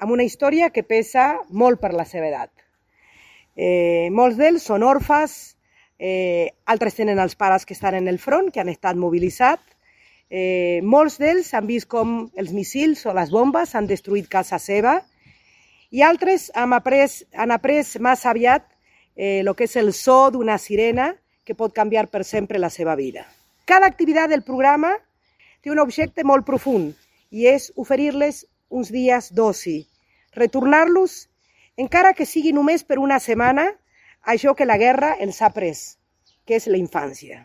amb una història que pesa molt per la seva edat. Molts d'ells són orfes, altres tenen els pares que estan en el front, que han estat mobilitzats. Molts d'ells han vist com els missils o les bombes han destruït casa seva i altres han après massa aviat el que és el so d'una sirena que pot canviar per sempre la seva vida. Cada activitat del programa té un objecte molt profund i és oferir-les uns dies d'oci, retornar-los, encara que sigui només per una setmana, això que la guerra ens ha pres, que és la infància.